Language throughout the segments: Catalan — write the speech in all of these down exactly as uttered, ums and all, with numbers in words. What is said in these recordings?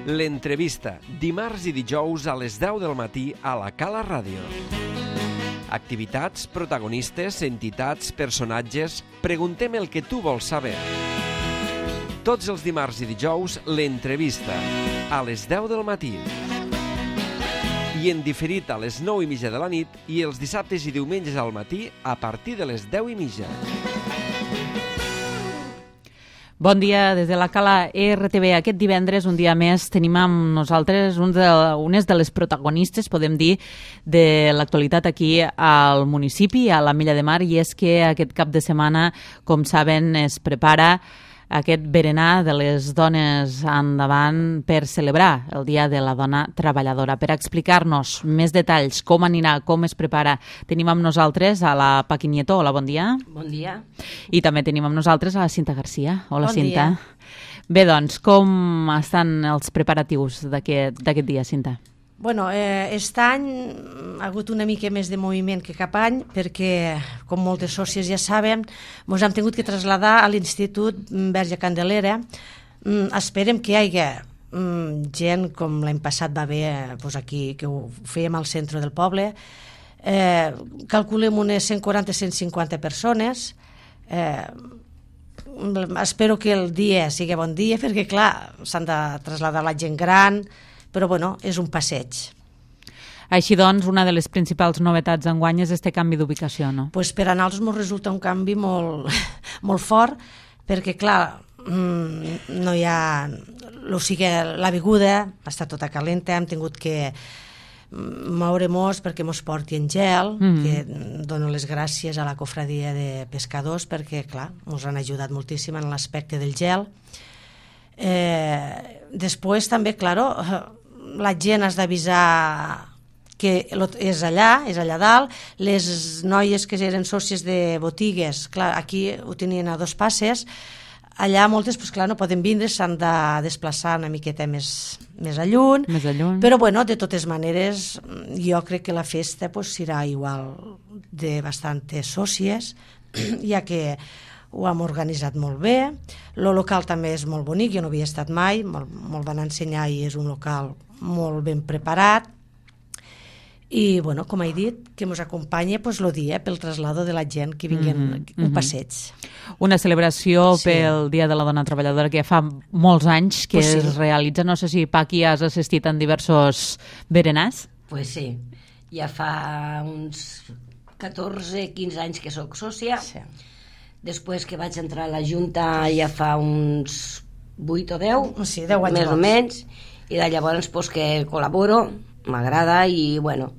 L'entrevista, dimarts i dijous a les deu del matí a la Cala Ràdio. Activitats, protagonistes, entitats, personatges... Preguntem el que tu vols saber. Tots els dimarts i dijous, l'entrevista, a les deu del matí. I en diferit a les nou i mitja de la nit i els dissabtes i diumenges al matí a partir de les deu i mitja. Bon dia des de la Cala R T V. Aquest divendres, un dia més, tenim amb nosaltres un de, unes de les protagonistes, podem dir, de l'actualitat aquí al municipi, a l'Ametlla de Mar, i és que aquest cap de setmana, com saben, es prepara aquest berenar de les dones endavant per celebrar el Dia de la Dona Treballadora. Per explicar-nos més detalls, com anirà, com es prepara, tenim amb nosaltres a la Paqui Nieto. Hola, bon dia. Bon dia. I també tenim amb nosaltres a la Cinta Garcia. Hola, bon Cinta. Dia. Bé, doncs, com estan els preparatius d'aquest d'aquest dia, Cinta? Bueno, eh, aquest any ha hagut una mica més de moviment que cap any perquè, com moltes sòcies ja saben, ens hem tingut que traslladar a l'Institut Verge Candelera. Mm, esperem que hi hagi mm, gent, com l'any passat va haver pues aquí, que ho fèiem al centre del poble. Eh, calculem unes cent quaranta a cent cinquanta persones. Eh, espero que el dia sigui bon dia perquè, clar, s'han de traslladar la gent gran, però bueno, és un passeig. Així doncs, una de les principals novetats d'enguany és este canvi d'ubicació, no? Pues per a nosaltres ens resulta un canvi molt, molt fort, perquè clar, no hi ha... O sigui, l'avinguda està tota calenta, hem tingut que moure-nos perquè mos porti en gel, mm. que dono les gràcies a la cofradia de pescadors perquè, clar, ens han ajudat moltíssim en l'aspecte del gel. Eh, després també, claro, la gent has d'avisar que és allà, és allà dalt. Les noies que eren sòcies de botigues, clar, aquí ho tenien a dos passes, allà moltes, pues, clar, no poden vindre, s'han de desplaçar una miqueta més, més a lluny, més a lluny. Però bueno, de totes maneres jo crec que la festa pues, serà igual de bastantes sòcies, ja que ho hem organitzat molt bé. El local també és molt bonic, jo no havia estat mai, me'l me'l van ensenyar i és un local molt ben preparat. I, bueno, com he dit, que ens acompanya pues, el dia pel traslado de la gent que vinguin mm -hmm. un passeig. Una celebració sí. pel Dia de la Dona Treballadora que ja fa molts anys que pues sí. es realitza. No sé si, Paqui, has assistit en diversos berenars? Pues sí, ja fa uns catorze quinze anys que sóc sòcia. Sí. Després que vaig entrar a la Junta ja fa uns vuit o deu, sí, deu anys més o menys, i de llavors pues, que col·laboro, m'agrada i bueno,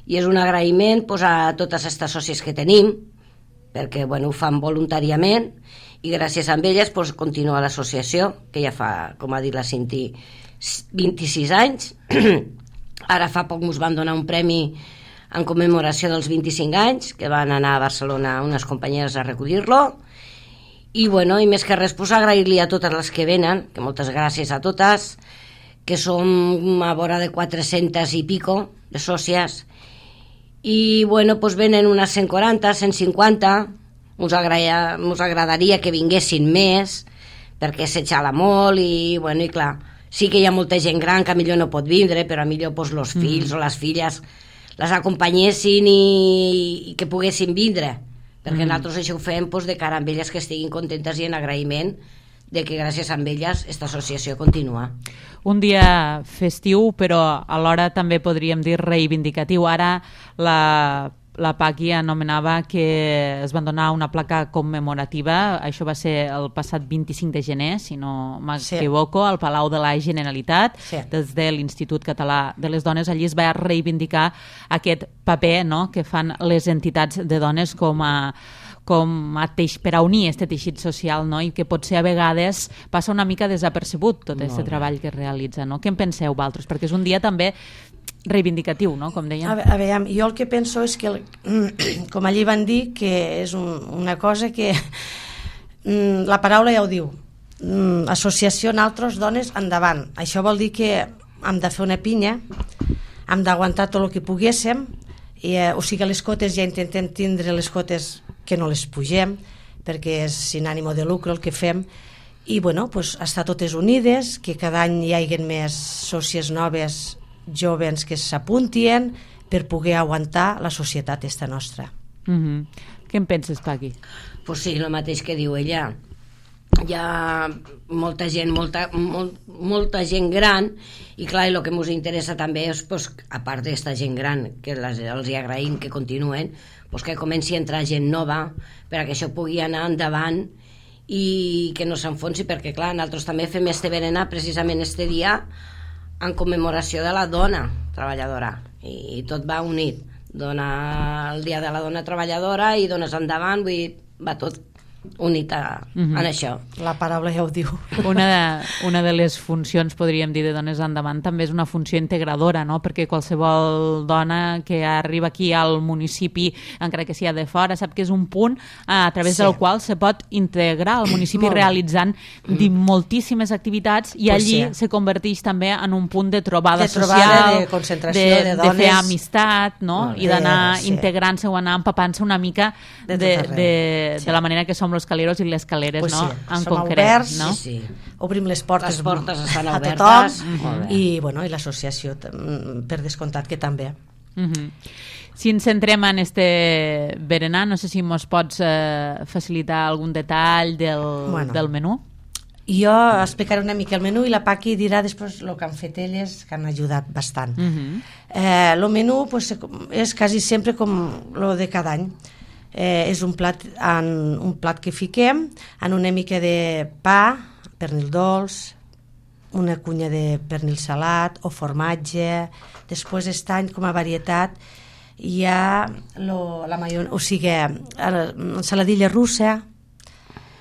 i és un agraïment pues, a totes aquestes sòcies que tenim, perquè bueno, ho fan voluntàriament i gràcies a elles pues, continua l'associació, que ja fa, com ha dit la Cinti, vint-i-sis anys. Ara fa poc ens van donar un premi en commemoració dels vint-i-cinc anys, que van anar a Barcelona unes companyeres a recollir-lo, i bueno, i més que res, pues, agrair-li a totes les que venen, que moltes gràcies a totes, que som a vora de quatre-centes i pico de sòcies, i bueno, pues venen unes cent quaranta, cent cinquanta, ens agradaria, ens agradaria que vinguessin més, perquè s'exhala molt, i bueno, i clar, sí que hi ha molta gent gran que millor no pot vindre, però millor pues, els fills mm. o les filles les acompanyessin i, i que poguessin vindre, perquè mm. nosaltres això ho fem pues, de cara a elles que estiguin contentes i en agraïment de que gràcies a elles aquesta associació continua. Un dia festiu, però alhora també podríem dir reivindicatiu. Ara la, la Paqui anomenava que es van donar una placa commemorativa, això va ser el passat vint-i-cinc de gener, si no m'equivoco, al Palau de la Generalitat, sí. des de l'Institut Català de les Dones. Allí es va reivindicar aquest paper, no?, que fan les entitats de dones com a com a teix, per a unir aquest teixit social, no? I que potser a vegades passa una mica desapercebut tot aquest treball que es realitza, no? Què en penseu, vosaltres? Perquè és un dia també reivindicatiu, no?, com dèiem. A veure, jo el que penso és que, com allí van dir, que és un, una cosa que la paraula ja ho diu, associació nosaltres dones endavant. Això vol dir que hem de fer una pinya, hem d'aguantar tot el que poguéssim, i, eh, o sigui, les cotes ja intentem tindre les cotes que no les pugem, perquè és sin ànimo de lucre el que fem, i bueno, pues, estar totes unides, que cada any hi hagi més sòcies noves, joves que s'apuntien per poder aguantar la societat esta nostra. Mm-hmm. Què en penses, Paqui? Pues sí, el mateix que diu ella. Hi ha molta gent, molta, molt, molta gent gran, i clar, el que ens interessa també és, pues, a part d'esta gent gran, que les, els hi agraïm que continuen, pues, que comenci a entrar gent nova perquè això pugui anar endavant i que no s'enfonsi, perquè clar, nosaltres també fem este berenar precisament este dia en commemoració de la dona treballadora, i, i tot va unit. Dona el dia de la dona treballadora i dones endavant, vull dir, va tot unit a, mm-hmm. en això. La paraula ja ho diu. Una de, una de les funcions, podríem dir, de Dones Endavant també és una funció integradora, no? Perquè qualsevol dona que arriba aquí al municipi, encara que sigui de fora, sap que és un punt a través sí. del qual se pot integrar al municipi realitzant mm. moltíssimes activitats i pues allí sí. se converteix també en un punt de trobada, de trobada social, de concentració de, de, dones, de fer amistat, no? no I d'anar sí. integrant-se o anar empapant-se una mica de, de, de, sí. de la manera que som los caleros i les caleres, pues no? Sí. En som concret, oberts, no? sí, sí. Obrim les portes, les portes estan a obertes, tothom, i, bueno, i l'associació per descomptat que també. Mm-hmm. Si ens centrem en este berenar, no sé si mos pots eh, facilitar algun detall del, bueno, del menú. Jo explicaré una mica el menú i la Paqui dirà després el que han fet elles, que han ajudat bastant. Mm-hmm. eh, el menú pues, és quasi sempre com el de cada any. Eh, és un plat, en, un plat que fiquem en una mica de pa, pernil dolç, una cunya de pernil salat o formatge. Després aquest any, com a varietat, hi ha lo, la maio, o sigui, ensaladilla russa,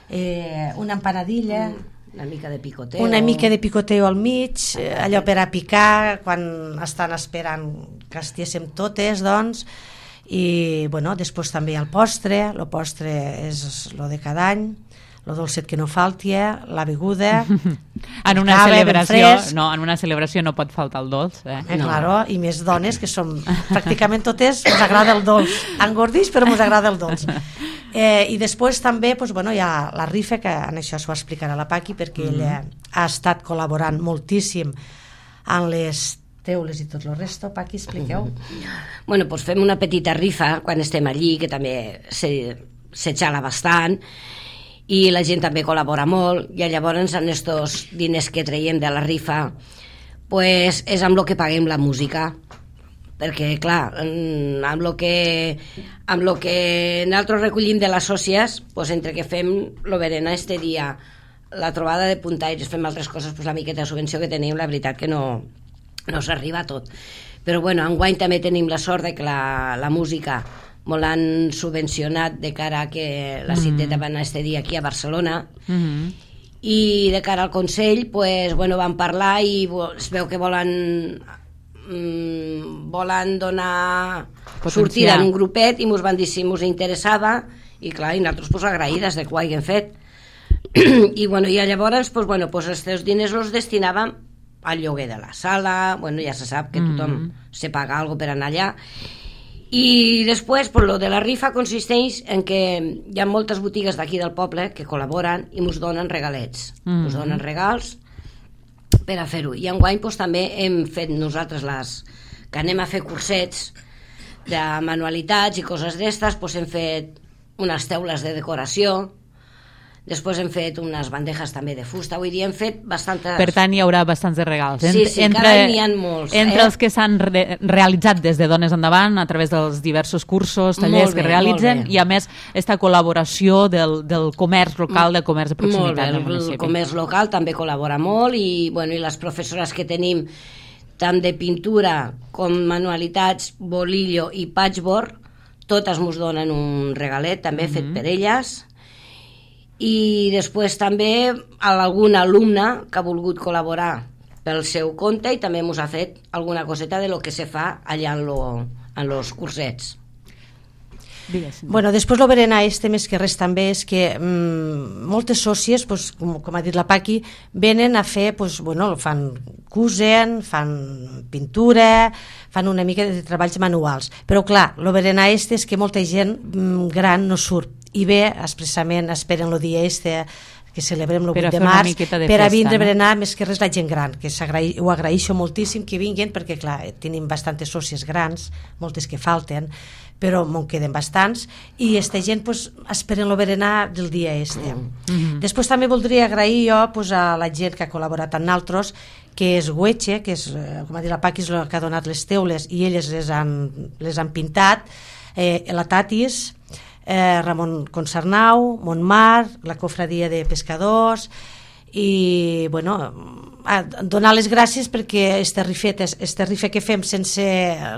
eh, una empanadilla, una mica de picoteo, una mica de picoteo al mig, eh, allò per a picar quan estan esperant que estiéssim totes, doncs. I bueno, després també hi ha el postre. El postre és el de cada any, el dolcet que no falti, la beguda. En una cava, celebració no, en una celebració no pot faltar el dolç, eh? Eh, no. Claro, i més dones que som pràcticament totes, ens agrada el dolç, engordix però ens agrada el dolç. Eh, i després també pues, bueno, hi ha la rifa, que en això s'ho explicarà la Paqui, perquè mm. ella ha estat col·laborant moltíssim en les teules i tot el resto. Paqui, expliqueu. Bueno, doncs fem una petita rifa quan estem allí, que també se, se xala bastant, i la gent també col·labora molt, i llavors en estos diners que traiem de la rifa pues, és amb el que paguem la música, perquè clar, amb el que, amb lo que nosaltres recollim de les sòcies, pues, entre que fem el berenar este dia, la trobada de puntaires, fem altres coses, pues, la miqueta de subvenció que tenim, la veritat que no no s'arriba a tot, però bueno, enguany també tenim la sort de que la, la música me l'han subvencionat de cara a que la citeta va anar este dia aquí a Barcelona, mm-hmm. i de cara al Consell pues, bueno, van parlar i es veu que volen mm, volen donar potenciar. Sortida en un grupet, i mos van dir si mos interessava, i clar, i nosaltres pues, agraïdes de que ho hagin fet. I, bueno, i llavors pues, bueno, pues, els diners els destinàvem al lloguer de la sala, bueno, ja se sap que tothom mm. se paga algo per anar allà, i després pues, lo de la rifa consisteix en que hi ha moltes botigues d'aquí del poble que col·laboren i ens donen regalets, ens mm. donen regals per a fer-ho, i enguany pues, també hem fet nosaltres les que anem a fer cursets de manualitats i coses d'estes, pues, hem fet unes teules de decoració. Després hem fet unes bandejes també de fusta, vull dir, hem fet bastantes... Per tant, hi haurà bastants de regals. Sí, sí, entre, cada any n'hi ha molts. Entre eh? els que s'han re realitzat des de Dones Endavant, a través dels diversos cursos, tallers bé, que realitzen, i a més, aquesta col·laboració del, del comerç local, del comerç de proximitat del municipi. El comerç local també col·labora molt, i, bueno, i les professores que tenim, tant de pintura com manualitats, bolillo i patchwork, totes ens donen un regalet, també mm-hmm. fet per elles. I després també algun alumne que ha volgut col·laborar pel seu compte i també ens ha fet alguna coseta de lo que se fa allà en, lo, en los cursets. Digues. Bueno, després el berenar este més que res també és que mmm, moltes sòcies, pues, com, com ha dit la Paqui, venen a fer, pues, bueno, fan cosen, fan pintura, fan una mica de treballs manuals, però clar, el berenar este és que molta gent mmm, gran no surt, i bé, expressament esperen el dia este que celebrem el Per a vuit de fer una març, miqueta de per a festa, vindre a no? berenar més que res la gent gran, que s'agraï- ho agraeixo moltíssim que vinguin, perquè clar, tenim bastantes sòcies grans, moltes que falten, però me'n queden bastants, i esta gent pues, esperen el berenar del dia este. Mm-hmm. Després també voldria agrair jo pues, a la gent que ha col·laborat amb nosaltres, que és Güeche, que és, eh, com ha dit la Paqui, és la que ha donat les teules i elles les han, les han pintat, eh, la Tatis, eh, Ramon Consarnau, Montmar, la Cofradia de Pescadors, i bueno, a donar les gràcies perquè este rifet, este rife que fem sense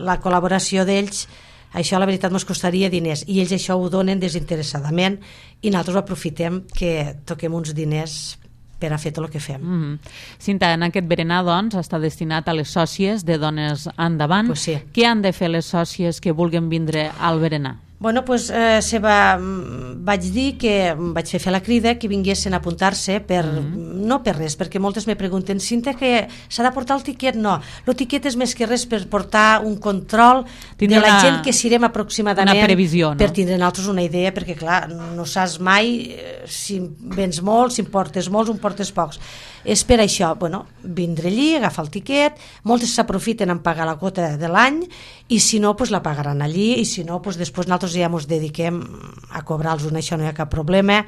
la col·laboració d'ells, això la veritat ens costaria diners, i ells això ho donen desinteressadament i nosaltres ho aprofitem que toquem uns diners per a fer tot el que fem. Mm-hmm. Cinta, en aquest berenar, doncs, està destinat a les sòcies de Dones Endavant. Pues sí. Què han de fer les sòcies que vulguin vindre al berenar? Bueno, pues, eh, se va, vaig dir que vaig fer, fer la crida que vinguessin a apuntar-se per, mm-hmm. no per res, perquè moltes me pregunten, Cinta, que s'ha de portar el tiquet? No, el tiquet és més que res per portar un control Tindre de la una, gent que serem aproximadament, una previsió, no? Per tindre nosaltres una idea, perquè clar, no saps mai eh, si vens molt, si en portes molts o en portes pocs. És per això, bueno, vindre allí, agafar el tiquet, moltes s'aprofiten en pagar la quota de l'any, i si no, pues, la pagaran allí, i si no, pues, després nosaltres ja ens dediquem a cobrar-los, això no hi ha cap problema.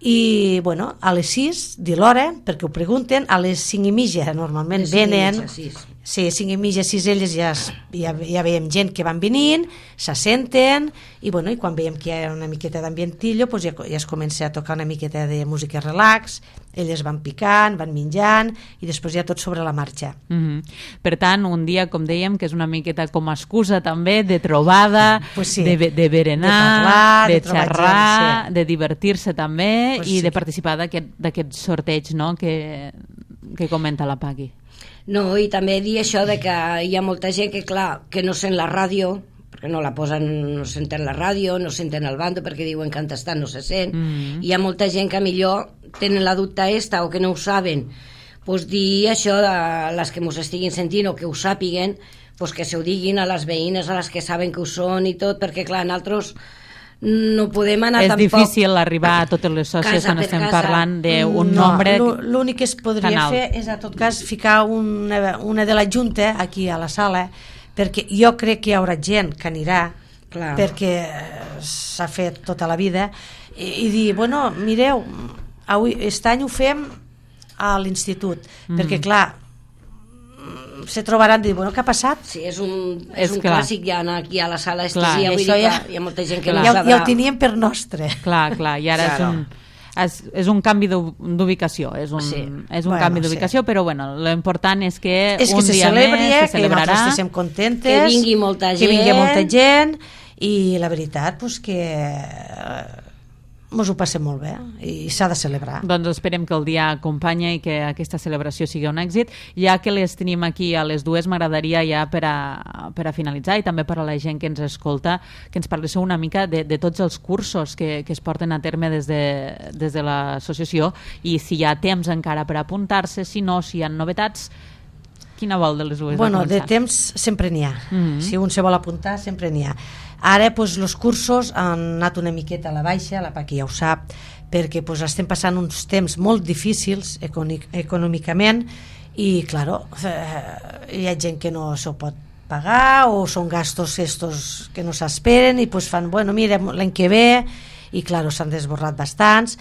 I bueno, a les sis de l'hora, perquè ho pregunten, a les cinc i mitja normalment Les cinc i venen, mitja, sis. sí, cinc i mitja, sis elles ja, ja, ja veiem gent que van venint, s'assenten, i bueno, i quan veiem que hi ha una miqueta d'ambientillo, pues ja, ja es comença a tocar una miqueta de música relax, elles van picant, van menjant, i després ja tot sobre la marxa. Mm-hmm. Per tant, un dia, com dèiem, que és una miqueta com a excusa també de trobada, pues sí. de, de berenar, de, parlar, de, de xerrar, gent, sí. de divertir-se també, Pues i sí. de participar d'aquest sorteig, no?, que, que comenta la Paqui. No, i també dir això de que hi ha molta gent que, clar, que no sent la ràdio, perquè no la posen, no senten la ràdio, no senten el bando, perquè diuen que entestant no se sent. Mm-hmm. Hi ha molta gent que millor tenen la dubte esta o que no ho saben. Pues dir això a les que mos estiguin sentint o que ho sàpiguen, pues que se ho diguin a les veïnes, a les que saben que ho són i tot, perquè, clar, nosaltres no podem anar és tampoc... És difícil arribar a totes les sòcies casa quan estem casa. parlant d'un no, nombre... L'únic que es podria canal. fer és, a tot cas, ficar una, una de la Junta aquí a la sala, perquè jo crec que hi haurà gent que anirà, Clar. perquè s'ha fet tota la vida, i, i dir, bueno, mireu, avui, aquest any ho fem a l'institut, mm. perquè, clar, se trobaran i dir, bueno, què ha passat? Sí, és un, és És un clar. clàssic ja anar aquí a la sala Clar, estesia, vull això dir ja- que hi ha molta gent que Clar. no Ja, sabrà. ja ho teníem per nostre. Clar, clar, i ara Claro. és un... És, és un canvi d'u- d'ubicació, és un, Sí. és un Bueno, canvi d'ubicació, sí. però bueno, l'important és que És que un se dia celebri, més se que celebrarà. nosaltres estiguem contentes, Que vingui molta que vingui gent. molta gent, i la veritat, pues, que eh, mos ho passem molt bé i s'ha de celebrar. Doncs esperem que el dia acompanya i que aquesta celebració sigui un èxit. Ja que les tenim aquí a les dues, m'agradaria ja per a, per a finalitzar, i també per a la gent que ens escolta, que ens parléssiu una mica de, de tots els cursos que, que es porten a terme des de, des de l'associació, i si hi ha temps encara per apuntar-se, si no, si hi ha novetats. Quina vol de les dues? Bueno, va de començar? temps sempre n'hi ha. Mhm. Si un se vol apuntar, sempre n'hi ha. Ara, doncs, els cursos han anat una miqueta a la baixa, la Paqui ja ho sap, perquè doncs, estem passant uns temps molt difícils econòmic, econòmicament, i, claro, eh, hi ha gent que no s'ho pot pagar, o són gastos estos que no s'esperen, i doncs fan, bueno, mira, l'any que ve, i, claro, s'han desborrat bastants.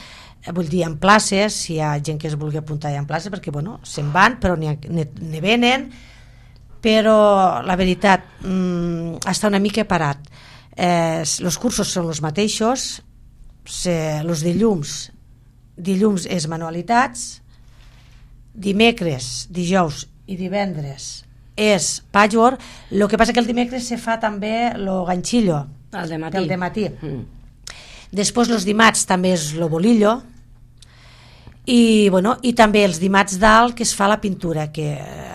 Vull dir, en places, si hi ha gent que es vulgui apuntar ja en places, perquè, bueno, se'n van, però n'hi ha- n'hi n'hi venen, però la veritat mmm, està una mica parat. Eh, els cursos són els mateixos, els dilluns dilluns és manualitats, dimecres, dijous i divendres és patchwork. El que passa que el dimecres se fa també el ganxillo El de matí. del dematí. Mm. Després els dimarts també és el bolillo, i, bueno, i també els dimarts dalt que es fa la pintura, que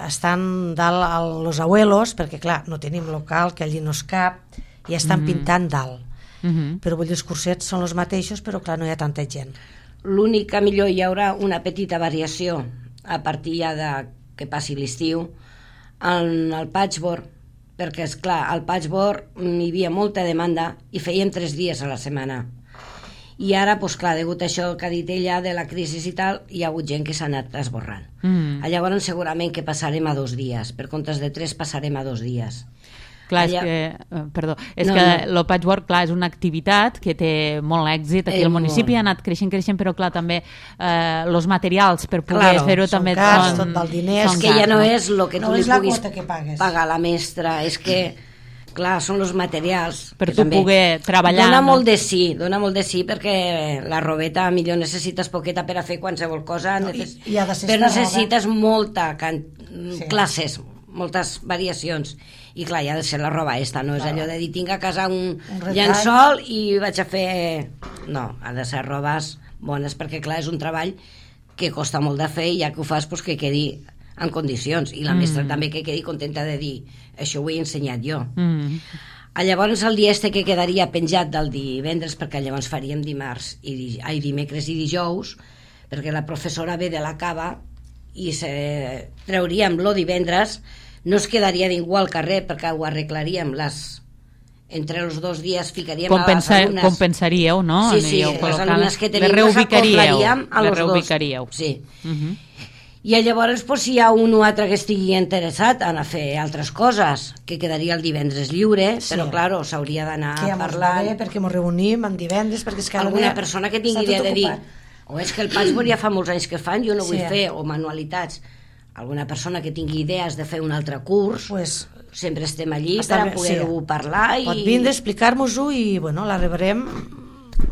estan dalt als abuelos, perquè clar, no tenim local, que allí no es cap, i estan mm -hmm. pintant dalt. Mm -hmm. Però vull dir, els cursets són els mateixos, però clar, no hi ha tanta gent. L'únic que millor hi haurà una petita variació a partir ja de que passi l'estiu en el patchwork, perquè és clar, al patchwork hi havia molta demanda i fèiem tres dies a la setmana, i ara, doncs clar, degut a això que ha dit ella de la crisi i tal, hi ha hagut gent que s'ha anat esborrant. Mm. Llavors segurament que passarem a dos dies, per comptes de tres passarem a dos dies. Clar, Allà... és que, eh, perdó, és No, que no. el patchwork, clar, és una activitat que té molt èxit aquí Eh, al municipi, molt. ha anat creixent, creixent, però clar, també eh, els materials per poder Claro, fer-ho són també cars, són, tot el diner, són És que cars, ja no no? és el que No tu li és la puguis quota que pagues. pagar a la mestra, és que, clar, són els materials. Per que tu també poder treballar, Dona no? molt de sí, dona molt de sí, perquè la robeta, millor necessites poqueta per a fer qualsevol cosa, No, neces... i- i ha de ser però esta necessites molta can... Sí. classes, moltes variacions. I clar, ja ha de ser la roba esta, no és allò de dir tinc a casa un, Un retall. llençol i vaig a fer... No, ha de ser robes bones, perquè clar, és un treball que costa molt de fer i ja que ho fas, doncs que quedi en condicions. I la Mm. mestra també que quedi contenta de dir això ho he ensenyat jo. Mm. A llavors el dia este que quedaria penjat del divendres, perquè llavors faríem dimarts i, di... ai, dimecres i dijous, perquè la professora ve de la cava i se... trauríem lo divendres, no es quedaria ningú al carrer perquè ho arreglaríem les... entre els dos dies ficaríem Compensa... a les alumnes. Compensaríeu, no? Sí, sí, Aniríeu les col·locant- alumnes que tenim les les reubicaríeu, acoplaríem a les los dos. reubicaríeu. Sí. Uh -huh. I llavors, pues, si hi ha un o altre que estigui interessat en a fer altres coses, que quedaria el divendres lliure, Sí. però, clar, s'hauria d'anar que ja mos va parlant. bé perquè ens reunim en divendres, perquè és que Alguna persona que tingui idea de dir o és que el patchwork ja fa molts anys que fan, jo no vull Sí. fer, o manualitats. Alguna persona que tingui idees de fer un altre curs, Pues, sempre estem allí està per a bé, poder-ho sí. parlar i pot vindre, explicar-nos-ho i bueno, la rebrem.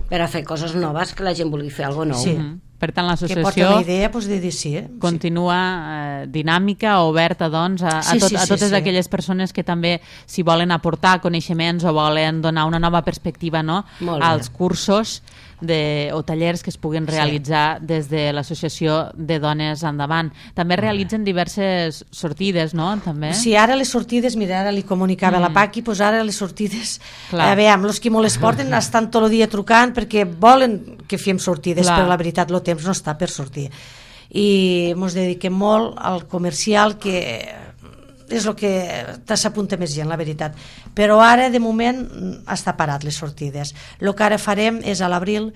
per a fer coses noves, que la gent vulgui fer alguna nou. Sí. Uh -huh. Per tant, Que porta l'associació una idea, pues, de dir sí. Eh? continua eh, dinàmica, oberta doncs, a, a, Sí, tot, sí, a sí, totes sí. aquelles persones que també s'hi volen aportar coneixements o volen donar una nova perspectiva, no?, Molt bé. als cursos de, o tallers que es puguin Sí. realitzar des de l'Associació de Dones Endavant. També realitzen diverses sortides, no?, també? Sí, ara les sortides, mira, ara li comunicava mm. a la Paqui, pues ara les sortides, Clar. a veure, els que molt les porten estan tot el dia trucant perquè volen que fem sortides, Clar. però la veritat el temps no està per sortir. I ens dediquem molt al comercial, que és el que s'apunta més gent, la veritat. Però ara, de moment, està parat les sortides. El que ara farem és a l'abril,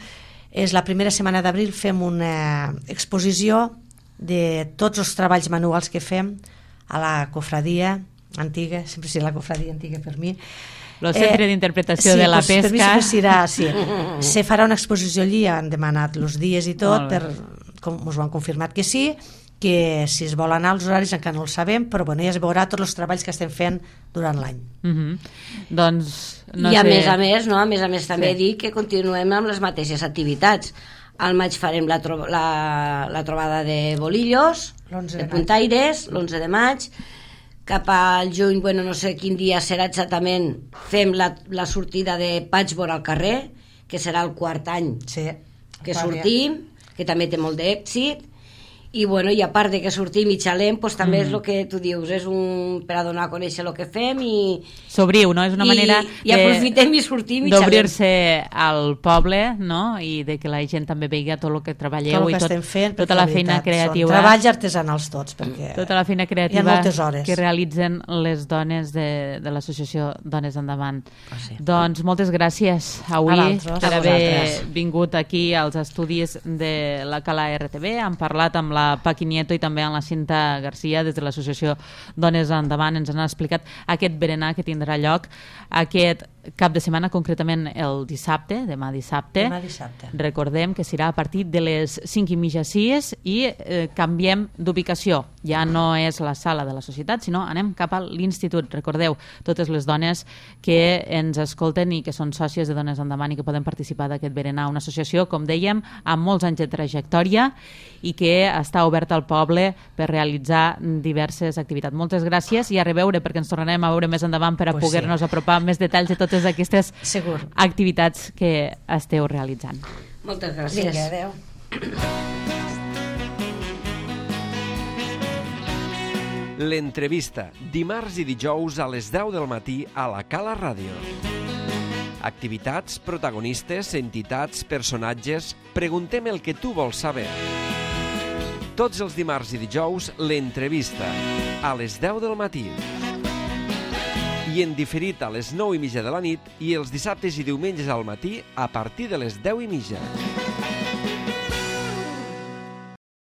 és la primera setmana d'abril, fem una exposició de tots els treballs manuals que fem a la cofradia antiga, sempre serà la cofradia antiga per mi. El Centre d'Interpretació sí, de la pues, per mi Pesca. sempre serà, sí. Se farà una exposició allí, han demanat els dies i tot, Molt bé. per, com ens ho han confirmat que sí, que si es vol anar als horaris encara no el sabem, però bueno, ja es veurà tots els treballs que estem fent durant l'any. Uh -huh. Doncs, no I a sé... més a més, no? a més a més també Sí. dir que continuem amb les mateixes activitats. Al maig farem la, tro la, la trobada de bolillos, L'onze de de maig. puntaires, l'onze de maig. Cap al juny, bueno, no sé quin dia serà exactament, fem la, la sortida de patchwork al carrer, que serà el quart any Sí. que Va bé. sortim, que també té molt d'èxit. I, bueno, i a part de que sortim i xalem, doncs també mm. és el que tu dius, és un, per a donar a conèixer el que fem i, S'obriu, no? És una i, manera i aprofitem i sortim i xalem. d'obrir-se al poble, no? I de que la gent també vegi tot el que treballeu Tot el i que tot, estem fent, tota perquè la la feina veritat, creativa. Són treballs artesanals tots, perquè Tota la feina hi ha creativa moltes hores. que realitzen les dones de, de l'associació Dones Endavant. Ah, sí. Doncs moltes gràcies avui A vosaltres. per A haver vosaltres. vingut aquí als estudis de la Cala R T V. Hem parlat amb la Paqui Nieto i també amb la Cinta Garcia des de l'associació Dones Endavant. Ens han explicat aquest berenar que tindrà lloc aquest cap de setmana, concretament el dissabte, demà dissabte. Demà dissabte. Recordem que serà a partir de les cinc i mitja sis i eh, canviem d'ubicació. Ja no és la sala de la societat, sinó anem cap a l'institut. Recordeu, totes les dones que ens escolten i que són sòcies de Dones Endavant i que poden participar d'aquest berenar. Una associació, com dèiem, amb molts anys de trajectòria i que està oberta al poble per realitzar diverses activitats. Moltes gràcies i a reveure, perquè ens tornarem a veure més endavant per a Pues poder-nos sí. apropar més detalls de totes aquestes Segur. activitats que esteu realitzant. Moltes gràcies. Vinga, adeu. L'entrevista, dimarts i dijous a les deu del matí a la Cala Ràdio. Activitats, protagonistes, entitats, personatges... Preguntem el que tu vols saber. Tots els dimarts i dijous, l'entrevista, a les deu del matí. i en diferit a les nou i mitja de la nit i els dissabtes i diumenges al matí a partir de les deu i mitja.